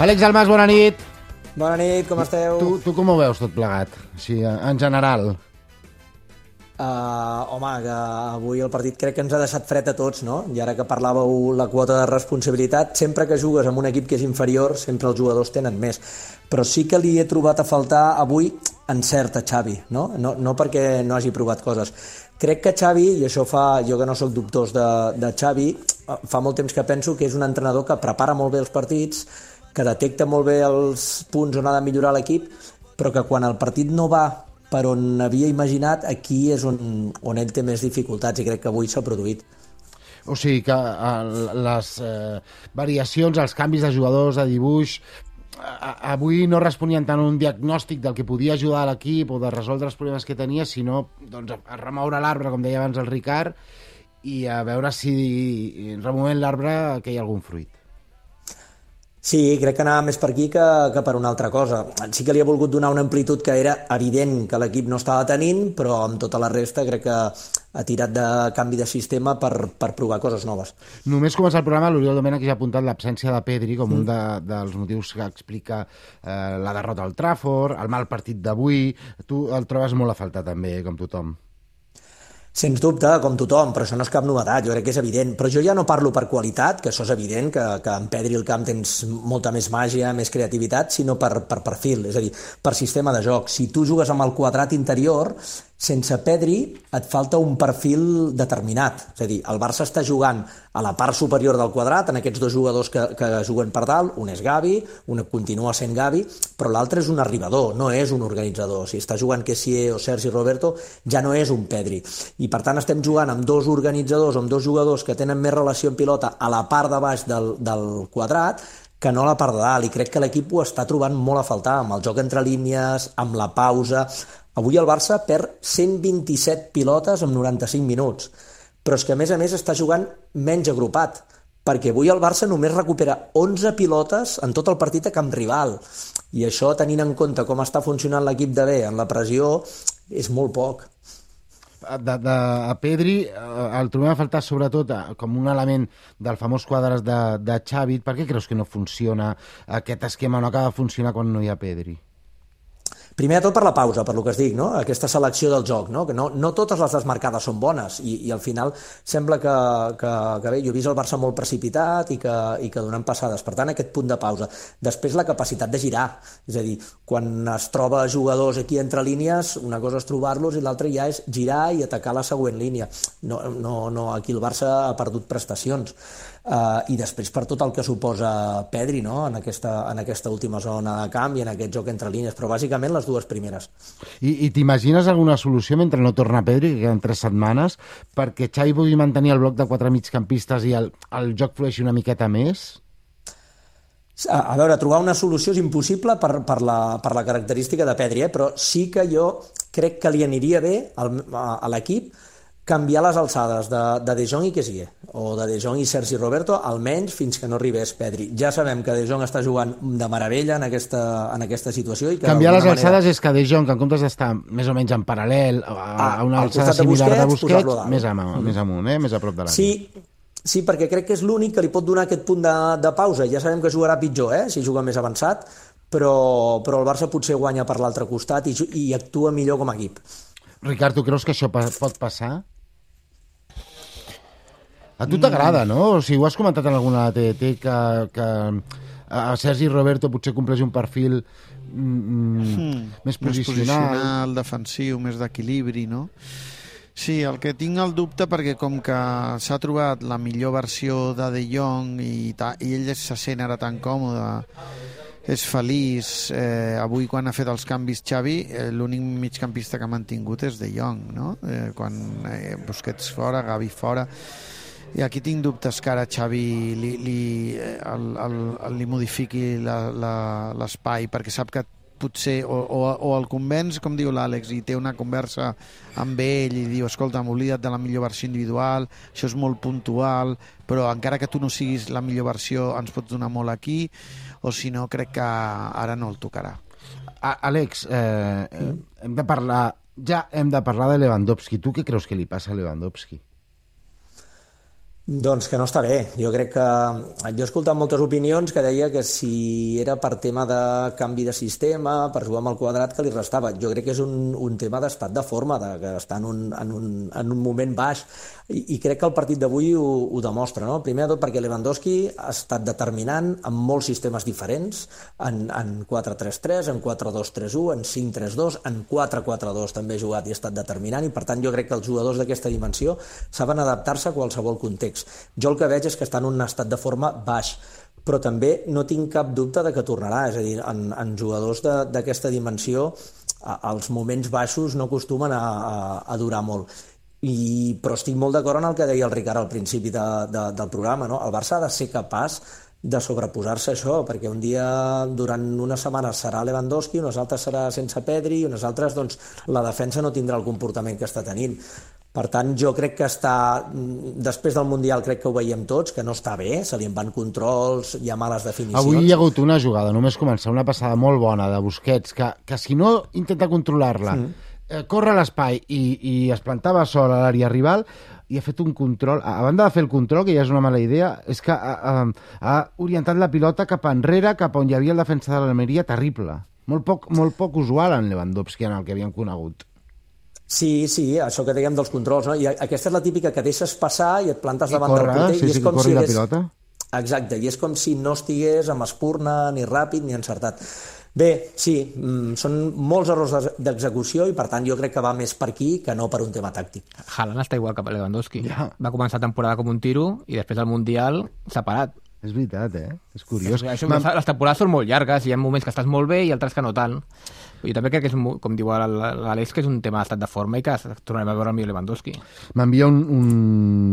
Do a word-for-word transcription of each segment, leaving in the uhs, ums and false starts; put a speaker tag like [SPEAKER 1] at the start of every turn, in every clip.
[SPEAKER 1] Àlex Almas, bona nit.
[SPEAKER 2] Bona nit, com esteu?
[SPEAKER 1] Tu, tu com ho veus tot plegat, així, en general?
[SPEAKER 2] Uh, home, que avui el partit crec que ens ha deixat fred a tots, no? I ara que parlàveu la quota de responsabilitat, sempre que jugues amb un equip que és inferior, sempre els jugadors tenen més. Però sí que li he trobat a faltar avui encert a Xavi, no? No, no perquè no hagi provat coses. Crec que Xavi, i això fa, jo que no sóc dubtós de, de Xavi, fa molt temps que penso que és un entrenador que prepara molt bé els partits, que detecta molt bé els punts on ha de millorar l'equip, però que quan el partit no va per on havia imaginat, aquí és on, on ell té més dificultats, i crec que avui s'ha produït.
[SPEAKER 1] O sigui que uh, les uh, variacions, els canvis de jugadors, de dibuix, uh, avui no responien tant a un diagnòstic del que podia ajudar a l'equip o de resoldre els problemes que tenia, sinó doncs, a remoure l'arbre, com deia abans el Ricard, i a veure si removent l'arbre que hi ha algun fruit.
[SPEAKER 2] Sí, crec que anava més per aquí que, que per una altra cosa. Sí que li ha volgut donar una amplitud que era evident que l'equip no estava tenint, però amb tota la resta crec que ha tirat de canvi de sistema per, per provar coses noves.
[SPEAKER 1] Només començar el programa, l'Oriol Domènech ja ha apuntat l'absència de Pedri com mm. un de, dels motius que explica eh, la derrota al Trafford, el mal partit d'avui. Tu el trobes molt a faltar també, com tothom.
[SPEAKER 2] Sens dubte, com tothom, però això no és cap novetat, jo crec que és evident. Però jo ja no parlo per qualitat, que això és evident, que, que en Pedri al camp tens molta més màgia, més creativitat, sinó per, per perfil, és a dir, per sistema de joc. Si tu jugues amb el quadrat interior, sense Pedri et falta un perfil determinat. És a dir, el Barça està jugant a la part superior del quadrat, en aquests dos jugadors que, que juguen per dalt, un és Gavi, un continua sent Gavi, però l'altre és un arribador, no és un organitzador. Si està jugant Kessié o Sergi Roberto, ja no és un Pedri. I per tant estem jugant amb dos organitzadors, amb dos jugadors que tenen més relació en pilota a la part de baix del, del quadrat, que no a la part de dalt, i crec que l'equip ho està trobant molt a faltar, amb el joc entre línies, amb la pausa. Avui el Barça perd cent vint-i-set pilotes en noranta-cinc minuts, però és que a més a més està jugant menys agrupat, perquè avui el Barça només recupera onze pilotes en tot el partit a camp rival, i això, tenint en compte com està funcionant l'equip de bé en la pressió, és molt poc.
[SPEAKER 1] De, de, a Pedri el trobem a faltar sobretot com un element del famós quadre de, de Xavi. Per què creus que no funciona aquest esquema, no acaba de funcionar quan no hi ha Pedri?
[SPEAKER 2] Primer de tot per la pausa, per lo que es dic, no? Aquesta selecció del joc, no? Que no, no totes les desmarcades són bones, i, i al final sembla que, que, que bé, jo he vist el Barça molt precipitat i que, i que donant passades, per tant aquest punt de pausa. Després la capacitat de girar, és a dir, quan es troba jugadors aquí entre línies, una cosa és trobar-los i l'altra ja és girar i atacar la següent línia. No, no, no, aquí el Barça ha perdut prestacions. Uh, i després per tot el que suposa Pedri, no? en, aquesta, en aquesta última zona de camp i en aquest joc entre línies, però bàsicament les dues primeres.
[SPEAKER 1] I, i t'imagines alguna solució mentre no torna Pedri, que queden tres setmanes, perquè Xavi pugui mantenir el bloc de quatre migcampistes i el, el joc flueixi una miqueta més?
[SPEAKER 2] A, a veure, trobar una solució és impossible per, per, la, per la característica de Pedri, eh? Però sí que jo crec que li aniria bé al, a, a l'equip canviar les alçades de De, de Jong i Kessié, o de De Jong i Sergi Roberto, almenys fins que no arribés Pedri. Ja sabem que De Jong està jugant de meravella en aquesta, en aquesta situació. I que
[SPEAKER 1] canviar les alçades
[SPEAKER 2] manera...
[SPEAKER 1] és que De Jong, en comptes d'estar més o menys en paral·lel a,
[SPEAKER 2] ah,
[SPEAKER 1] a una alçada similar de Busquets,
[SPEAKER 2] Busquets
[SPEAKER 1] més amunt, mm. més amunt, eh? més a prop de la
[SPEAKER 2] sí, sí, perquè crec que és l'únic que li pot donar aquest punt de, de pausa. Ja sabem que jugarà pitjor, eh? si juga més avançat, però, però el Barça potser guanya per l'altre costat i, i actua millor com a equip.
[SPEAKER 1] Ricard, tu creus que això pot passar? A tu t'agrada, no? O sigui, ho has comentat en alguna T D T que, que a Sergi Roberto potser compleix un perfil mm, hmm, més posicional.
[SPEAKER 3] Més posicional, defensiu, més d'equilibri, no? Sí, el que tinc el dubte, perquè com que s'ha trobat la millor versió de De Jong i, ta, i ell se sent ara tan còmode, és feliç, eh, avui quan ha fet els canvis Xavi, eh, l'únic migcampista que ha mantingut és De Jong, no? Eh, quan eh, Busquets fora, Gavi fora. I aquí tinc dubtes que ara Xavi li, li, el, el, el, li modifiqui l'espai, perquè sap que potser o, o, o el convenç, com diu l'Àlex, i té una conversa amb ell i diu, escolta, m'oblida't de la millor versió individual, això és molt puntual, però encara que tu no siguis la millor versió ens pots donar molt aquí, o si no crec que ara no el tocarà.
[SPEAKER 1] Àlex, eh, hem de parlar, ja hem de parlar de Lewandowski. Tu què creus que li passa a Lewandowski?
[SPEAKER 2] Doncs que no està bé. Jo crec que... Jo he escoltat moltes opinions que deia que si era per tema de canvi de sistema, per jugar amb el quadrat, que li restava. Jo crec que és un, un tema d'estat de forma, de, que està en un, en, un, en un moment baix, i, i crec que el partit d'avui ho, ho demostra, no? Primer de tot perquè Lewandowski ha estat determinant en molts sistemes diferents, en, en quatre tres tres, en quatre dos tres u, en cinc tres dos, en quatre quatre dos també ha jugat i ha estat determinant, i per tant jo crec que els jugadors d'aquesta dimensió saben adaptar-se a qualsevol context. Jo el que veig és que està en un estat de forma baix, però també no tinc cap dubte de que tornarà, és a dir, en, en jugadors d'aquesta dimensió a, els moments baixos no acostumen a, a, a durar molt. I, però estic molt d'acord en el que deia el Ricard al principi de, de, del programa, no? El Barça ha de ser capaç de sobreposar-se a això, perquè un dia durant unes setmanes serà Lewandowski, unes altres serà sense Pedri, i unes altres doncs, la defensa no tindrà el comportament que està tenint. Per tant, jo crec que està... Després del Mundial crec que ho veiem tots, que no està bé, se li en van controls, hi ha males definicions.
[SPEAKER 1] Avui hi ha hagut una jugada, només començar, una passada molt bona de Busquets, que, que si no intenta controlar-la, mm. eh, corre a l'espai i, i es plantava sol a l'àrea rival, i ha fet un control, a banda de fer el control, que ja és una mala idea, és que ha, ha, ha orientat la pilota cap enrere, cap on hi havia el defensa de l'Almeria, terrible. Molt poc, molt poc usual en Lewandowski, en el que havíem conegut.
[SPEAKER 2] Sí, sí, això que dèiem dels controls, no? I aquesta és la típica que deixes passar i et plantes
[SPEAKER 1] I
[SPEAKER 2] davant
[SPEAKER 1] corre,
[SPEAKER 2] del porter
[SPEAKER 1] sí,
[SPEAKER 2] i és
[SPEAKER 1] sí,
[SPEAKER 2] com si
[SPEAKER 1] la
[SPEAKER 2] hagués...
[SPEAKER 1] pilota.
[SPEAKER 2] Exacte, i és com si no estigués amb espurna, ni ràpid, ni encertat. Bé, sí, són molts errors d'execució i per tant jo crec que va més per aquí que no per un tema tàctic.
[SPEAKER 4] Haaland està igual que Lewandowski.
[SPEAKER 1] Ja.
[SPEAKER 4] Va començar la temporada com un tiro i després al Mundial s'ha parat.
[SPEAKER 1] És veritat, eh? És curiós.
[SPEAKER 4] Això, les temporades són molt llargues, hi ha moments que estàs molt bé i altres que no tant. Jo també crec que és, com diu l'Àlex, que és un tema d'estat de forma i que tornarem a veure el millor Lewandowski.
[SPEAKER 1] M'envia un, un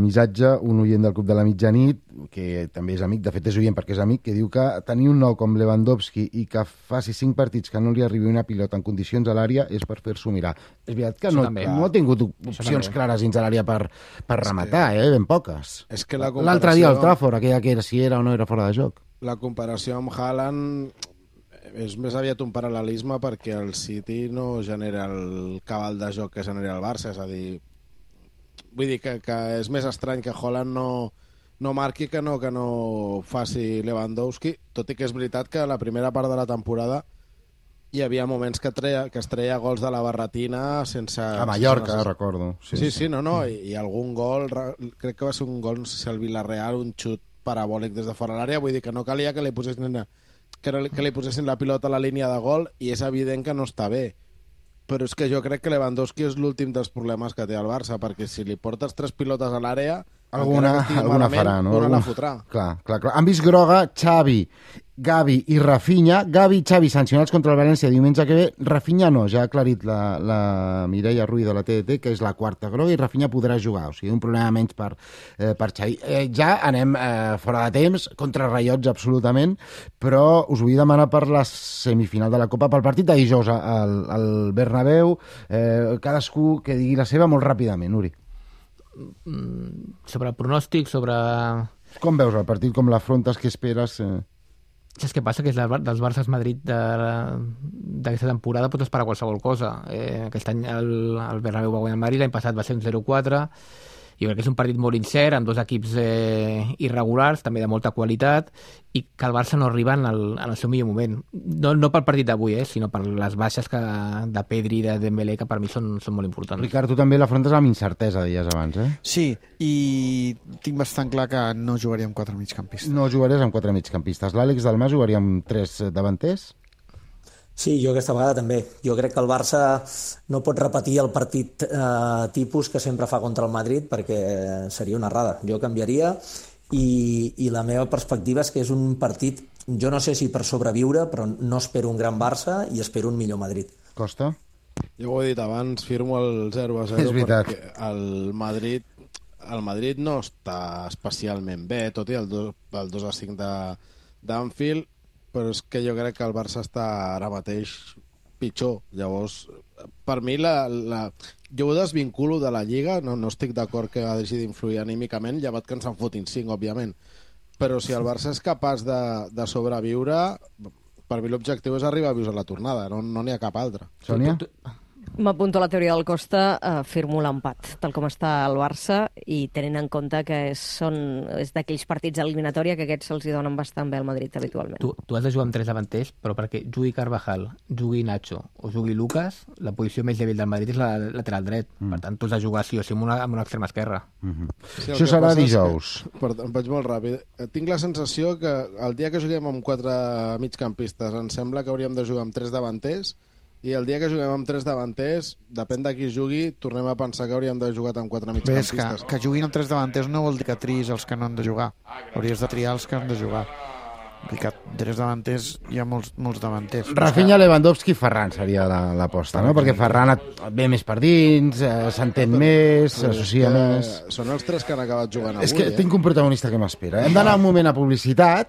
[SPEAKER 1] missatge, un oient del Club de la Mitjanit, que també és amic, de fet és oient perquè és amic, que diu que tenir un nou com Lewandowski i que faci cinc partits que no li arribi una pilota en condicions a l'àrea és per fer-s'ho mirar. És veritat que no, no ha tingut opcions clares dins a l'àrea per, per rematar, eh? Ben poques.
[SPEAKER 5] És que la comparació...
[SPEAKER 1] L'altre dia al Trafford, aquella que era, si era o no era fora de joc.
[SPEAKER 5] La comparació amb Haaland és més aviat un paral·lelisme perquè el City no genera el cabal de joc que genera el Barça, és a dir, vull dir que, que és més estrany que Haaland no, no marqui que no, que no faci Lewandowski, tot i que és veritat que a la primera part de la temporada hi havia moments que, treia, que es treia gols de la barretina sense...
[SPEAKER 1] A Mallorca,
[SPEAKER 5] sense...
[SPEAKER 1] recordo.
[SPEAKER 5] Sí, sí, sí, no, no, i, i algun gol, crec que va ser un gol, no sé si el Villarreal, un xut parabòlic des de fora l'àrea, vull dir que no calia que li posessin... Que, que li posessin la pilota a la línia de gol i és evident que no està bé. Però és que jo crec que Lewandowski és l'últim dels problemes que té el Barça, perquè si li portes tres pilotes a l'àrea,
[SPEAKER 1] alguna, alguna farà, no?
[SPEAKER 5] Alguna
[SPEAKER 1] Algun...
[SPEAKER 5] la fotrà.
[SPEAKER 1] Clar, clar, clar. Han vist groga Xavi, Gavi i Rafinha. Gavi i Xavi sancionats contra el València diumenge que ve. Rafinha no, ja ha aclarit la, la Mireia Ruiz de la T D T que és la quarta groga i Rafinha podrà jugar, o sigui, un problema menys per, eh, per Xavi. Eh, ja anem eh, fora de temps, contra Rayots absolutament, però us vull demanar per la semifinal de la Copa, pel partit de dijous al, al Bernabéu, eh, cadascú que digui la seva molt ràpidament, Uri.
[SPEAKER 4] Sobre el pronòstic, sobre...
[SPEAKER 1] Com veus el partit, com l'afrontes, què esperes? Eh...
[SPEAKER 4] Saps què passa? Que és dels Barças Madrid d'aquesta temporada pots esperar qualsevol cosa. Eh, aquest any el, el Bernabéu va guanyar el Madrid, l'any passat va ser un zero quatre. Jo crec que és un partit molt incert, amb dos equips eh, irregulars, també de molta qualitat, i que el Barça no arriba en el, en el seu millor moment. No, no pel partit d'avui, eh, sinó per les baixes que, de Pedri i de Dembélé, que per mi són, són molt importants.
[SPEAKER 1] Ricard, tu també l'afrontes amb incertesa, deies abans, eh?
[SPEAKER 3] Sí, i tinc bastant clar que no jugaria amb quatre migcampistes.
[SPEAKER 1] No jugaries amb quatre migcampistes. L'Àlex Dalmà jugaria amb tres davanters?
[SPEAKER 2] Sí, jo aquesta vegada també. Jo crec que el Barça no pot repetir el partit eh, tipus que sempre fa contra el Madrid perquè seria una errada. Jo canviaria i, i la meva perspectiva és que és un partit, jo no sé si per sobreviure, però no espero un gran Barça i espero un millor Madrid.
[SPEAKER 1] Costa?
[SPEAKER 5] Jo ho he dit abans, firmo el zero a zero perquè el Madrid, el Madrid no està especialment bé, tot i el dos a cinc d'Anfield, però és que jo crec que el Barça està ara mateix pitjor. Llavors, per mi, la, la... jo ho desvinculo de la Lliga, no, no estic d'acord que hagi d'influir anímicament, llevat que ens en fotin cinc, òbviament. Però si el Barça és capaç de, de sobreviure, per mi l'objectiu és arribar a vius a la tornada, no n'hi no ha cap altre.
[SPEAKER 1] Sònia?
[SPEAKER 6] M'apunto a la teoria del Costa, eh, firmo l'empat, tal com està el Barça, i tenint en compte que són, és d'aquells partits d'eliminatòria que aquests se'ls hi donen bastant bé al Madrid habitualment.
[SPEAKER 4] Tu, tu has de jugar amb tres davanters, però perquè jugui Carvajal, jugui Nacho o jugui Lucas, la posició més dèbil del Madrid és la lateral dret. Mm. Per tant, tu has de jugar sí o sí amb una, amb una extrema esquerra.
[SPEAKER 1] Mm-hmm. Sí, això serà dijous.
[SPEAKER 5] Que, perdó, em vaig molt ràpid. Tinc la sensació que el dia que juguem amb quatre migcampistes em sembla que hauríem de jugar amb tres davanters, i el dia que juguem amb tres davanters, depèn de qui jugui, tornem a pensar que hauríem de jugar amb quatre migcampistes.
[SPEAKER 3] Que, que juguin amb tres davanters no vol dir que triïs els que no han de jugar. Hauries de triar els que han de jugar. Vull dir que tres davanters hi ha molts, molts davanters.
[SPEAKER 1] Rafinha, Lewandowski, Ferran seria l'aposta, no? Perquè Ferran ve més per dins, eh, s'entén més, s'associa més...
[SPEAKER 5] Són els tres que han acabat jugant avui.
[SPEAKER 1] És que
[SPEAKER 5] eh?
[SPEAKER 1] tinc un protagonista que m'espera. Hem d'anar un moment a publicitat